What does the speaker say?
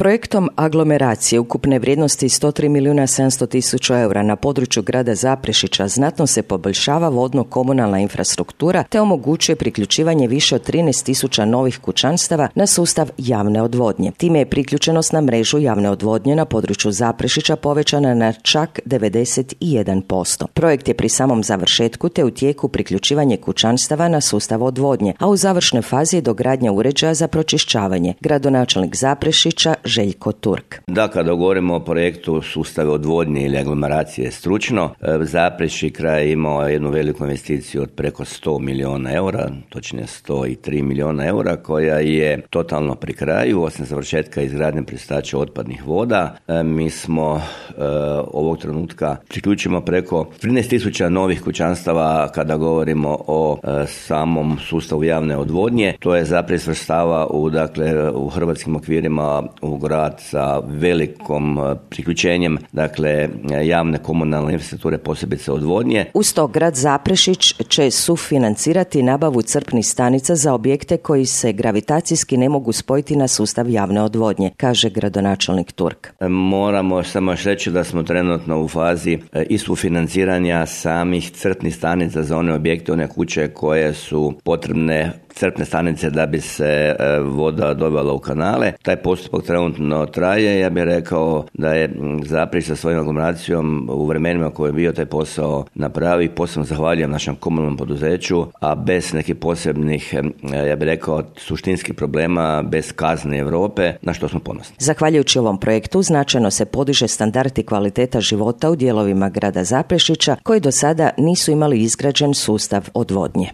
Projektom aglomeracije ukupne vrijednosti 103.700.000 eura na području grada Zaprešića znatno se poboljšava vodno-komunalna infrastruktura te omogućuje priključivanje više od 13.000 novih kućanstava na sustav javne odvodnje. Time je priključenost na mrežu javne odvodnje na području Zaprešića povećana na čak 91%. Projekt je pri samom završetku te u tijeku priključivanje kućanstava na sustav odvodnje, a u završnoj fazi je dogradnja uređaja za pročišćavanje. Gradonačelnik Zaprešića Željko Turk. Da, kada govorimo o projektu sustave odvodnje ili aglomeracije stručno, Zaprešić kraj je imao jednu veliku investiciju od preko 100 milijuna eura, točnije 103 milijuna eura, koja je totalno pri kraju, osim završetka izgradnje pristača otpadnih voda. Mi smo ovog trenutka priključimo preko 13.000 novih kućanstava kada govorimo o samom sustavu javne odvodnje. To je Zaprešić svrstava u hrvatskim okvirima u grad sa velikom priključenjem javne komunalne infrastrukture, posebice odvodnje. Uz to grad Zaprešić će sufinancirati nabavu crpnih stanica za objekte koji se gravitacijski ne mogu spojiti na sustav javne odvodnje, kaže gradonačelnik Turk. Moramo samo još reći da smo trenutno u fazi i sufinanciranja samih crpnih stanica za one objekte, one kuće koje su potrebne crpne stanice da bi se voda dovela u kanale. Taj postupak trenutno traje. Ja bih rekao da je Zaprešić sa svojom aglomeracijom u vremenima koje je bio taj posao napravi. Posebno zahvaljujem našem komunalnom poduzeću, a bez nekih posebnih, ja bih rekao, suštinskih problema, bez kazne Europe, na što smo ponosni. Zahvaljujući ovom projektu značajno se podiže standard i kvaliteta života u dijelovima grada Zaprešića koji do sada nisu imali izgrađen sustav odvodnje.